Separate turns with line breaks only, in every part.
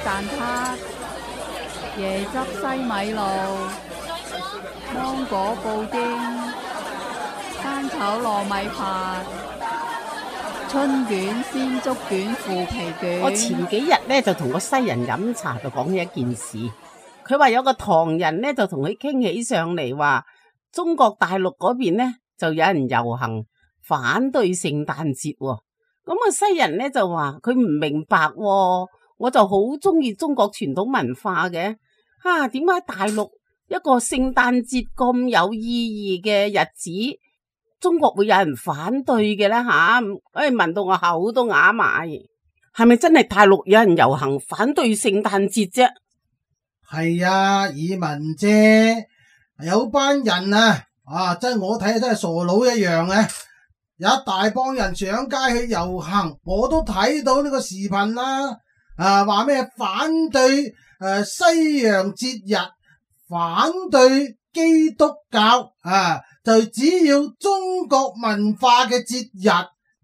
蛋撻、椰汁西米露、芒果布丁、生炒糯米飯、春卷、鮮竹卷、腐皮卷。
我前幾日咧就同個西人飲茶，就講起一件事。佢話有個唐人咧就同佢傾起上嚟，話中國大陸嗰邊咧就有人遊行反對聖誕節喎。咁個西人咧就話佢唔明白喎，我就好中意中國傳統文化嘅，點解大陸一個聖誕節咁有意義嘅日子，中國會有人反對嘅咧吓？聞到我口都啞埋，係咪真係大陸有人遊行反對聖誕節啫？
係啊，爾文姐，有班人真係我睇真係傻佬一樣嘅。有一大幫人上街去遊行，我都睇到呢個視頻啦。話咩反對西洋節日，反對基督教就只要中國文化嘅節日，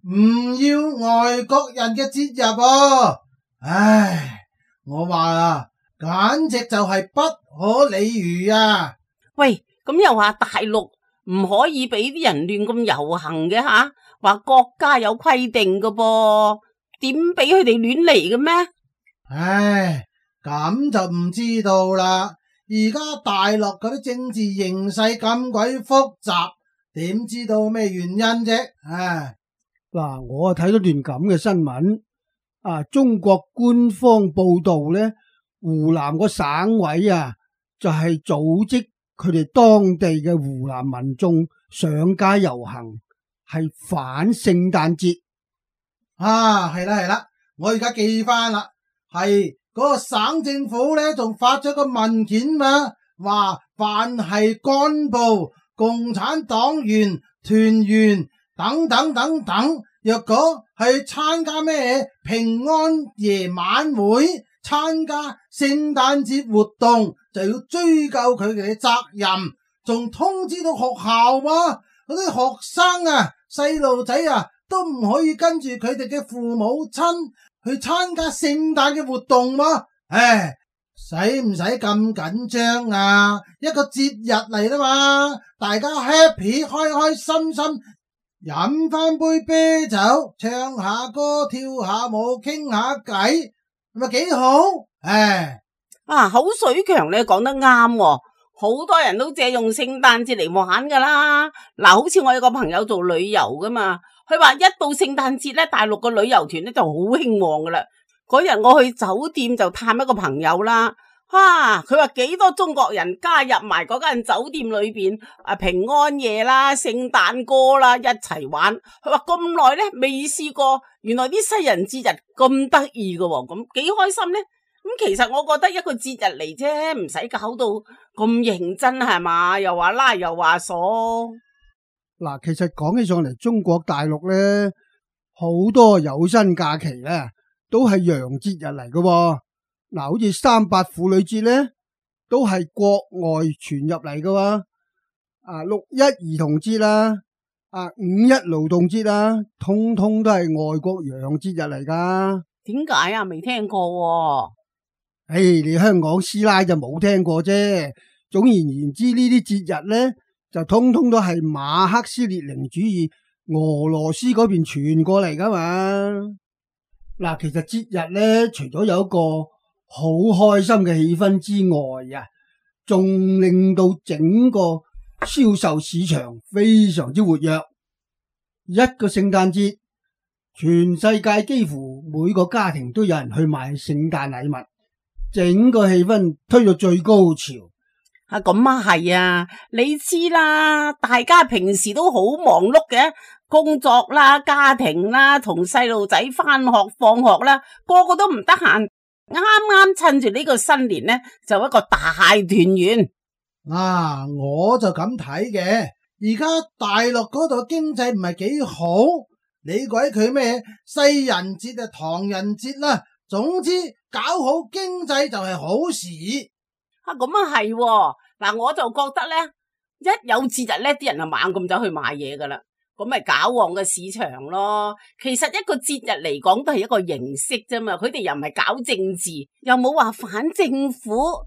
唔要外國人嘅節日喎。唉，我話啦，簡直就係不可理喻啊！
喂，咁又話大陸唔可以俾啲人亂咁遊行嘅吓？話國家有規定嘅噃，點俾佢哋亂嚟嘅咩？
唉，咁就唔知道啦。而家大陸嗰啲政治形勢咁鬼複雜，點知道咩原因啫？
嗱，我睇到段咁嘅新聞，中國官方報道咧，湖南個省委就係組織佢哋當地嘅湖南民眾上街遊行，係反聖誕節。
係啦，我而家記翻啦，係嗰個省政府咧，仲發咗個文件嘛，話凡係幹部、共產黨員、團員等等，若果係參加咩平安夜晚會、參加聖誕節活動，就要追究佢哋嘅責任，仲通知到學校嗰啲學生細路仔都唔可以跟住佢哋嘅父母親去參加聖誕嘅活動喎。使唔使咁緊張啊？一個節日嚟啦嘛，大家 happy 開心心，飲翻杯啤酒，唱下歌，跳下舞，傾下偈，咪幾好？
口水強你講得啱喎，好多人都借用聖誕節嚟玩噶啦。好似我有個朋友做旅遊噶嘛，佢話一到聖誕節咧，大陸個旅遊團咧就好興旺噶啦。嗰日我去酒店就探一個朋友啦，佢話幾多中國人加入埋嗰間酒店裏邊，平安夜啦、聖誕歌啦一齊玩。佢話咁耐咧未試過，原來啲西人節日咁得意噶，咁幾開心咧。咁其實我覺得一個節日嚟啫，唔使搞到咁認真係嘛，又話拉又話鎖。
嗱，其實講起上嚟，中國大陸咧好多有薪假期咧都係洋節日嚟噶。好似3·8婦女節咧都係國外傳入嚟噶。6·1兒童節啦，5·1勞動節啦，通通都係外國洋節日嚟噶。
點解啊？未聽過。
你香港師奶就冇聽過啫。總而言之，呢啲節日咧就通通都係馬克思列寧主義俄羅斯嗰邊傳過嚟噶嘛。其實節日咧除咗有一個好開心嘅氣氛之外仲令到整個銷售市場非常之活躍。一個聖誕節，全世界幾乎每個家庭都有人去買聖誕禮物，整個氣氛推到最高潮。
係啊，你知啦，大家平時都好忙碌嘅，工作啦、家庭啦、同細路仔返學放學啦，個個都唔得閒。啱啱趁住呢個新年呢，就一個大團圓。
我就咁睇嘅。而家大陸嗰度經濟唔係幾好，你鬼佢咩西人節唐人節啦，總之搞好經濟就係好事。
係，我就覺得咧，一有節日咧，啲人就猛咁走去買嘢噶啦。咁咪搞旺個市場咯。其實一個節日嚟講都係一個形式啫嘛，佢哋又唔係搞政治，又冇話反政府，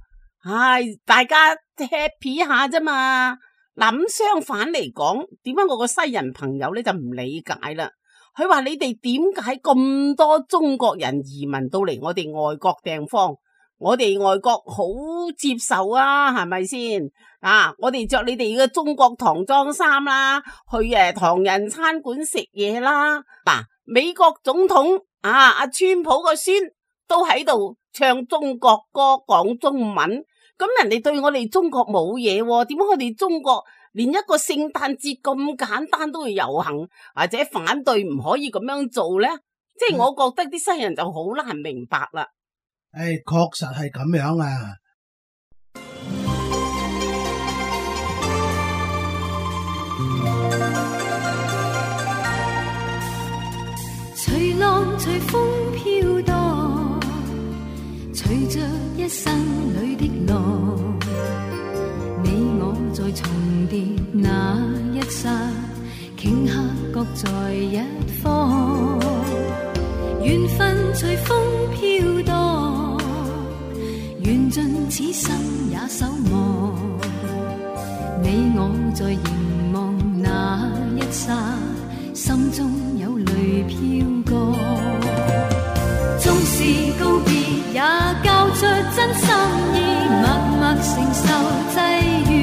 大家 happy 下啫嘛。嗱，咁相反嚟講，點解我個西人朋友咧就唔理解啦？佢話你哋點解咁多中國人移民到嚟我哋外國地方？我哋外國好接受啊，係咪先？我哋着你哋嘅中國唐裝衫啦，去唐人餐館食嘢啦。美國總統阿川普個孫都喺度唱中國歌，講中文。咁人哋對我哋中國冇嘢，點解我哋中國連一個聖誕節咁簡單都會遊行或者反對，唔可以咁樣做呢？即係我覺得啲西人就好難明白啦。
確實係咁樣啊！
隨浪隨風飄蕩，隨着一生裏的浪，你我在重疊那一剎，頃刻各在一方，緣分隨風飄蕩，緣盡此生也守望，你我在凝望那一剎，心中有淚飄過，縱是告別也交出真心意，默默承受際遇，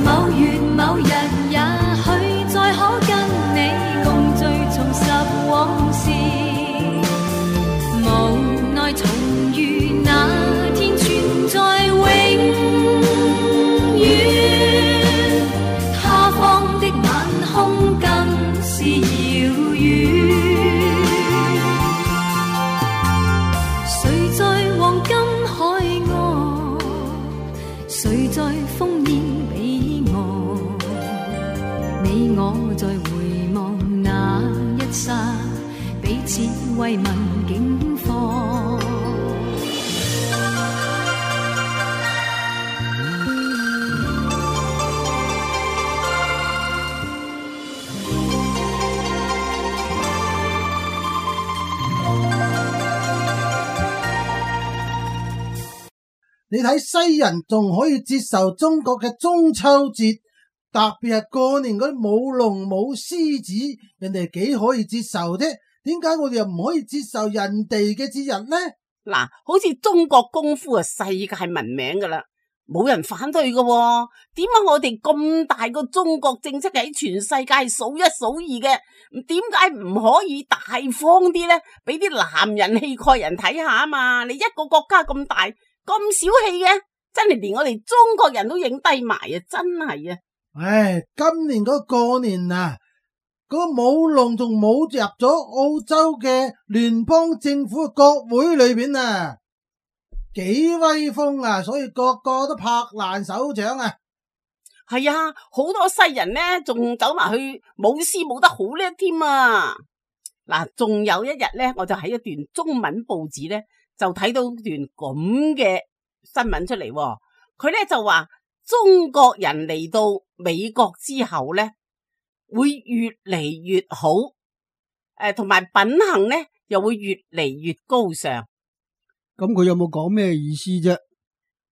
某月某日也許再可跟你共聚重拾往事，無奈重遇那天存在永遠，他方的晚空更是遙遠，誰在黃金海岸，誰在烽煙彼岸，你我在回望那一剎，彼此慰問境況。
你睇西人仲可以接受中國嘅中秋節，特別係過年嗰啲舞龍舞獅子，人哋幾可以接受啫？點解我哋又唔可以接受人哋嘅節日呢？
嗱，好似中國功夫係世界聞名噶啦，冇人反對噶喎。點解我哋咁大個中國正式喺全世界數一數二嘅，點解唔可以大方啲呢？俾啲男人氣概人睇下啊嘛！你一個國家咁大，咁小氣嘅，真係連我哋中國人都影低埋啊！真係啊！
今年嗰過年啊，嗰個舞龍仲舞入咗澳洲嘅聯邦政府嘅國會裏邊啊，幾威風啊！所以個個都拍爛手掌啊！
係啊，好多西人呢，仲走埋去舞獅舞得好叻添啊！嗱，仲有一日呢，我就喺一段中文報紙呢，就睇到段咁嘅新聞出嚟，佢呢就話中國人嚟到美國之後呢，會越嚟越好，同埋品行呢又會越嚟越高尚。
咁佢有冇講咩意思啫？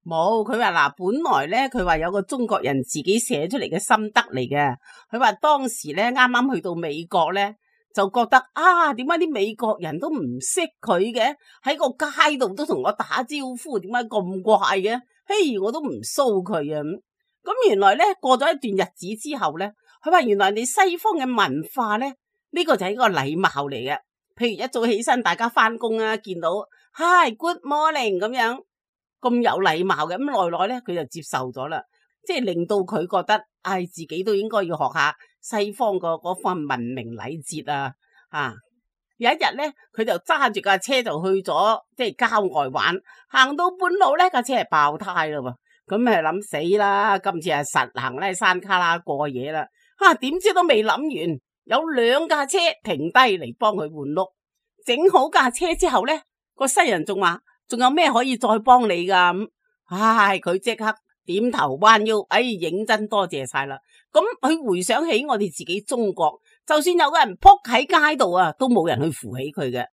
冇，佢話嗱，本來呢，佢話有個中國人自己寫出嚟嘅心得嚟嘅。佢話當時呢，啱啱去到美國呢，就覺得點解啲美國人都唔識佢嘅？喺個街度都同我打招呼，點解咁怪嘅？嘿，我都唔騷佢啊！咁原來呢，過咗一段日子之後呢，佢話原來你西方嘅文化呢，呢個就係一個禮貌嚟嘅。譬如一早起身，大家翻工啊，見到 Hi Good Morning 咁樣咁有禮貌嘅，咁耐耐呢，佢就接受咗啦，即係令到佢覺得自己都應該要學下西方嗰份文明禮節啊！有一日呢，佢就揸住架車就去咗即係郊外玩，行到半路呢，架車係爆胎啦喎，咁係諗死啦，今次係實行咧山卡拉過夜啦，點知都未諗完，有2架車停低嚟幫佢換轆，整好架車之後呢，個西人仲話仲有咩可以再幫你噶咁，佢即刻點頭彎腰，認真多謝晒啦。咁佢回想起我哋自己中國，就算有個人仆喺街度啊，都冇人去扶起佢嘅，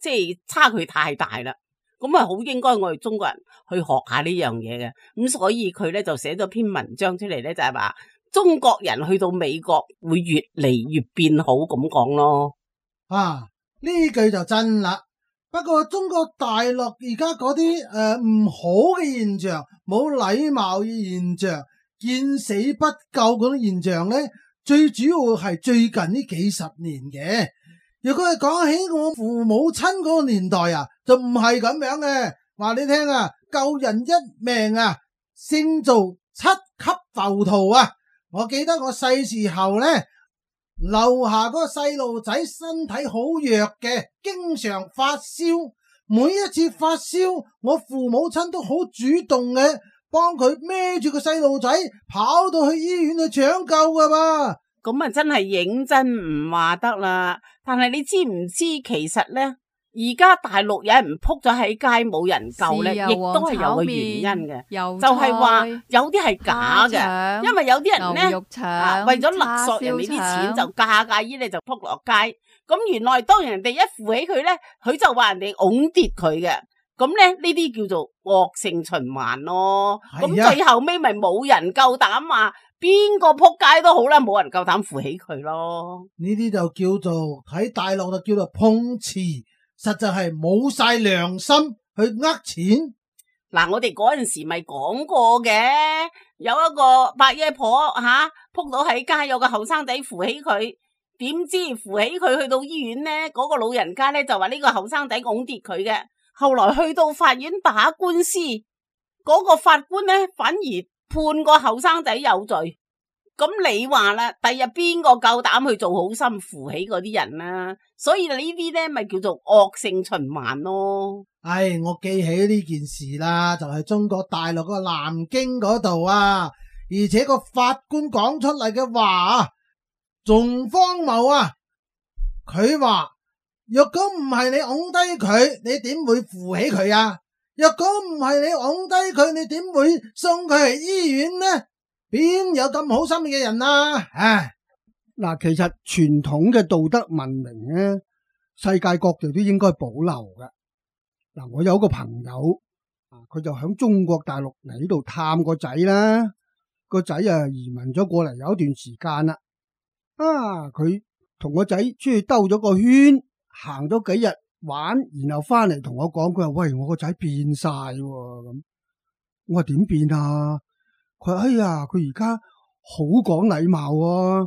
即係差距太大啦。咁啊，好應該我哋中國人去學下呢樣嘢嘅。咁所以佢咧就寫咗篇文章出嚟咧，就係話中國人去到美國會越嚟越變好咁講咯。
啊，呢句就真啦。不過中國大陸而家嗰啲唔好嘅現象，冇禮貌嘅現象，見死不救嗰種現象咧，最主要係最近呢幾十年嘅。如果係講起我父母親嗰個年代啊，就唔係咁樣嘅。話你聽啊，救人一命啊，勝造七級浮屠啊！我記得我細時候咧，樓下嗰個細路仔身體好弱嘅，經常發燒。每一次發燒，我父母親都好主動嘅，幫佢孭住個細路仔跑到去醫院去搶救噶噃。
咁啊，真係認真唔話得啦。但係你知唔知其實咧，而家大陸有人撲咗喺街冇人救咧，亦都係有個原因嘅，就係話有啲係假嘅，因為有啲人咧為咗勒索人哋啲錢，就假醫咧就撲落街。咁原來當人哋一扶起佢咧，佢就話人哋㧬跌佢嘅。咁咧呢啲叫做惡性循環咯。咁最後尾咪冇人夠膽話邊個撲街都好啦，冇人夠膽扶起佢咯。
呢啲就叫做喺大陸就叫做碰瓷，實在係冇晒良心去呃錢。
嗱，我哋嗰陣時咪講過嘅，有一個伯爺婆撲到喺街，有個後生仔扶起佢，點知扶起佢去到醫院咧，嗰個老人家咧就話呢個後生仔㧬跌佢嘅。後來去到法院打官司，嗰個法官咧反而判個後生仔有罪。咁你話啦，第日邊個夠膽去做好心扶起嗰啲人啊？所以呢啲咧咪叫做惡性循環咯。
唉，我記起呢件事啦，就係中國大陸個南京嗰度啊，而且個法官講出嚟嘅話仲荒謬啊！佢話若果唔係你拱低佢，你點會扶起佢啊？若果唔係你拱低佢，你點會送佢去醫院呢？邊有咁好心嘅人啊？唉，
嗱，其實傳統嘅道德文明咧，世界各地都應該保留嘅。嗱，我有個朋友佢就響中國大陸嚟呢度探個仔啦，個仔移民咗過嚟有一段時間啦。佢同個仔出去兜咗個圈，行咗幾日玩，然後翻嚟同我講，佢話喂，我個仔變晒咁。我話點變啊？佢話哎呀，佢而家好講禮貌啊。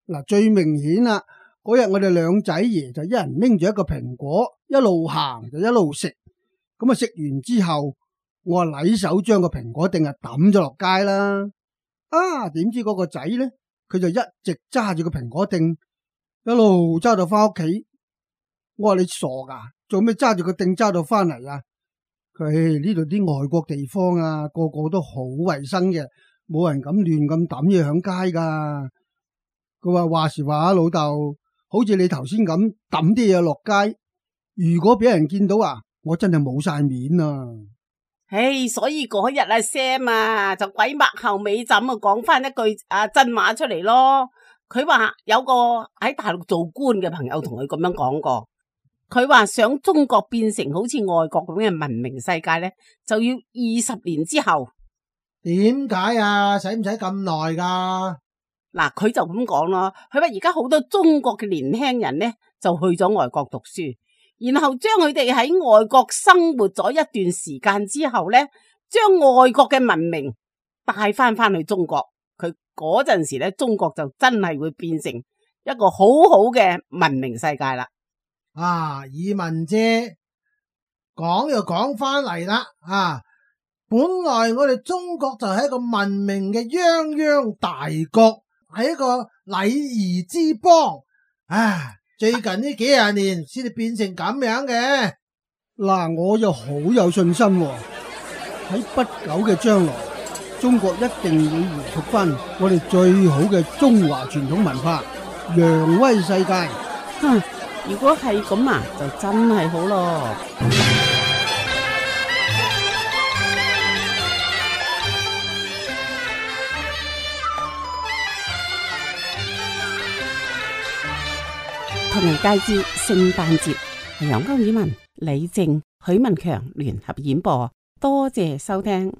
嗱，最明顯啦，嗰日我哋兩仔爺就一人拎住一個蘋果，一路行就一路食。咁食完之後，我話禮手將個蘋果定係抌咗落街啦。點知嗰個仔咧，佢就一直揸住個蘋果定，一路揸到翻屋企。我話你傻噶，做咩揸住個定揸到翻嚟啊？佢呢度啲外國地方啊，個個都好衛生嘅，冇人敢亂咁抌嘢響街噶。佢話時話老豆，好似你頭先咁抌啲嘢落街，如果俾人見到我真係冇晒面啊！
所以嗰日Sam 就鬼擘後尾枕講翻一句真話出嚟咯。佢話有個喺大陸做官嘅朋友同佢咁樣講過。佢話想中國變成好似外國咁嘅文明世界咧，就要20年之後。
點解啊？使唔使咁耐噶？
嗱，佢就咁講咯。佢話而家好多中國嘅年輕人咧，就去咗外國讀書，然後將佢哋喺外國生活咗一段時間之後咧，將外國嘅文明帶翻去中國。佢嗰陣時咧，中國就真係會變成一個好好嘅文明世界啦。
以文姐講又講翻嚟啦。本來我哋中國就係一個文明嘅泱泱大國，係一個禮儀之邦。最近呢幾廿年先至變成咁樣嘅。
嗱，我就好有信心喺不久嘅將來，中國一定會回復翻我哋最好嘅中華傳統文化，揚威世界。
如果係咁就真係好咯。唐人街之聖誕節，係由歐爾文、李靜、許文強聯合演播，多謝收聽。